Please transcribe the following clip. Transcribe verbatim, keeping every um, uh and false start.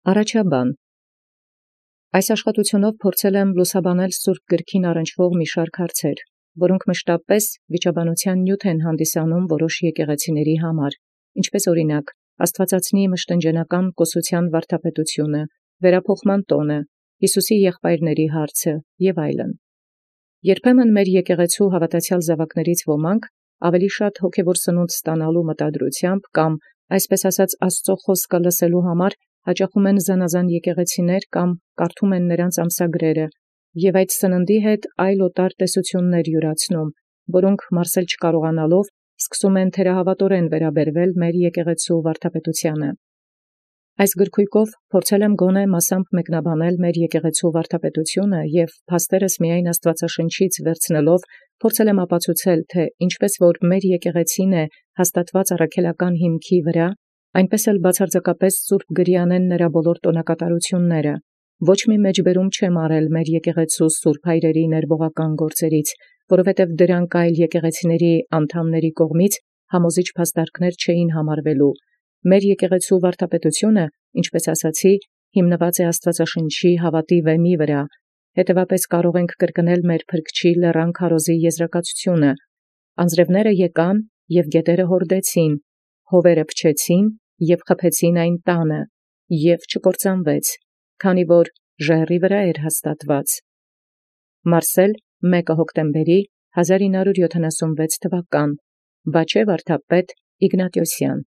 Առաջաբան Այս աշխատութիւնով փորձել եմ լուսաբանել սուրբ գրոյն առնչվող մի շարք հարցեր, որոնք մշտապես վիճաբանութեան նիւթ են հանդիսանում որոշ եկեղեցիացն համար, ինչպէս օրինակ Աստուածածնի մշտնջենական կոսութեան վարդապետութիւնը, վերափոխման տոնը, Յիսուսի եղբայրացն հարցը և այլն։ Երբեմն մեր եկեղեցու հաւատացեալ զաւակներից ոմանք ավելի շատ հոգևոր սնունդ ստանալու մտադրությամբ կամ այսպես ասած Աստուծոյ խոսքը լսելու համար հաճախում են զանազան եկեղեցիներ կամ կարդում են նրանց ամսագրերը և այդ սննդի հետ այլ օտար տեսութիւններ յուրացնում, որոնք մարսել չկարողանալով սկսում են թերահաւատորեն վերաբերվել մեր եկեղեցու վարդապետութեանը։ Այս գրքոյկով փորձել եմ գոնե մասամբ մեկնաբանել մեր եկեղեցու վարդապետութիւնը և փաստերս միայն Աստուածաշնչից վերցնելով փորձել եմ ապացուցել, թէ ինչպէս որ մեր եկեղեցին է հաստատված առաքելական հիմքի վրա, այնպէս էլ բացարձակապէս սուրբ գրեանեն նրա բոլոր տոնակատարութիւնները, ոչ մի մեջբերում չեմ արել մեր եկեղեցու սուրբ հայրերի ներբողական գործերից, որովհետև դրանք այլ եկեղեցիների անդամբք կողմից համոզիչ փաստարկներ չէին համարվելու։ Մեր եկեղեցու վարդապետութիւնը, ինչպէս ասացի, հիմնված է Աստուածաշնչի հաւատի վեմի վրա, հետևաբար կարող ենք կրկնել մեր Փրկչի լեռան քարոզի եզրակացութիւնը. անձրևները եկան և գետերը հորդեցին, հովերը փչեցին և խփեցին այն տանը, և չկործանվեց, քանի որ ժայռի վրա էր հաստատված։ Մարսել մեկը հոկտեմբեր հազար ինը հարյուր յոթանասունվեց թվական Բաչե վարդապետ Իգնատիոսյան։